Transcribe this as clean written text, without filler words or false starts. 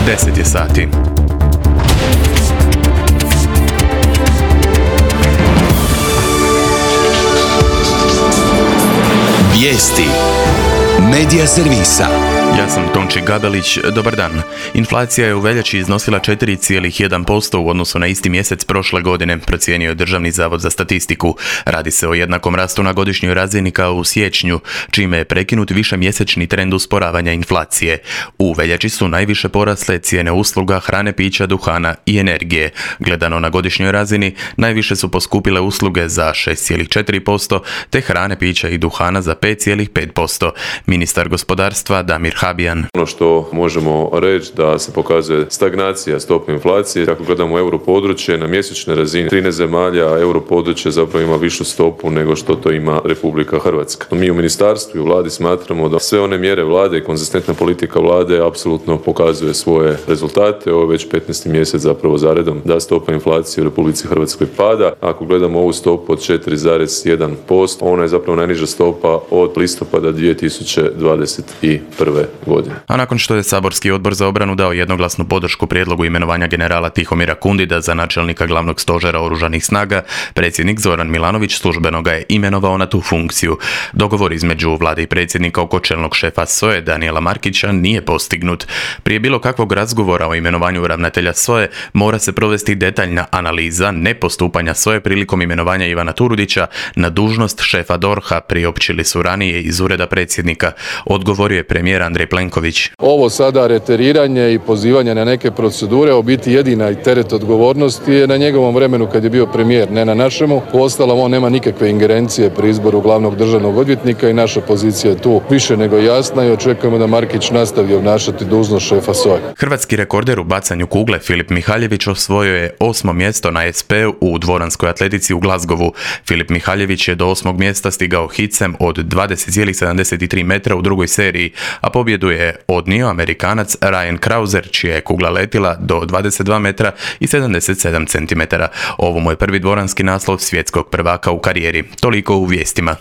10 je sati. Vijesti Medija servisa. Ja sam Tonči Gabelić, dobar dan. Inflacija je u veljači iznosila 4,1% u odnosu na isti mjesec prošle godine, procijenio je Državni zavod za statistiku. Radi se o jednakom rastu na godišnjoj razini kao u siječnju, čime je prekinut višemjesečni trend usporavanja inflacije. U veljači su najviše porasle cijene usluga, hrane, pića, duhana i energije. Gledano na godišnjoj razini, najviše su poskupile usluge za 6,4%, te hrane, pića i duhana za 5,5%. Ministar gospodarstva Damir Habijan. Ono što možemo reći da se pokazuje stagnacija stope inflacije. Ako gledamo europodručje na mjesečnoj razini 13 zemalja, europodručje zapravo ima višu stopu nego što to ima Republika Hrvatska. Mi u ministarstvu i u vladi smatramo da sve one mjere vlade i konzistentna politika vlade apsolutno pokazuje svoje rezultate. Ovo je već 15. mjesec zapravo zaredom da stopa inflacije u Republici Hrvatskoj pada. Ako gledamo ovu stopu od 4,1%, ona je zapravo najniža stopa od listopada 2021. godine. A nakon što je Saborski odbor za obranu dao jednoglasnu podršku prijedlogu imenovanja generala Tihomira Kundida za načelnika glavnog stožera oružanih snaga, predsjednik Zoran Milanović službeno ga je imenovao na tu funkciju. Dogovor između vlade i predsjednika oko čelnog šefa SOA-e Danijela Markića nije postignut. Prije bilo kakvog razgovora o imenovanju ravnatelja SOA-e mora se provesti detaljna analiza nepostupanja SOA-e prilikom imenovanja Ivana Turudića na dužnost šefa DORH-a, priopćili su ranije iz ureda predsjednika. Odgovorio je premijer Andrej Plenković. Ovo sada reteriranje i pozivanje na neke procedure, u biti jedina i teret odgovornosti je na njegovom vremenu kad je bio premijer, ne na našemu. Uostalom, on nema nikakve ingerencije pri izboru glavnog državnog odvjetnika i naša pozicija je tu više nego jasna i očekujemo da Markić nastavi obnašati dužnost šefa SOA-e. Hrvatski rekorder u bacanju kugle Filip Mihaljević osvojio je 8. mjesto na SP-u u dvoranskoj atletici u Glasgowu. Filip Mihaljević je do 8. mjesta stigao hicem od 20,73 metra u drugoj seriji, a pobjedu je odnio Amerikanac Ryan Krauser, čija je kugla letila do 22 metra i 77 centimetara. Ovo mu je prvi dvoranski naslov svjetskog prvaka u karijeri. Toliko u vijestima.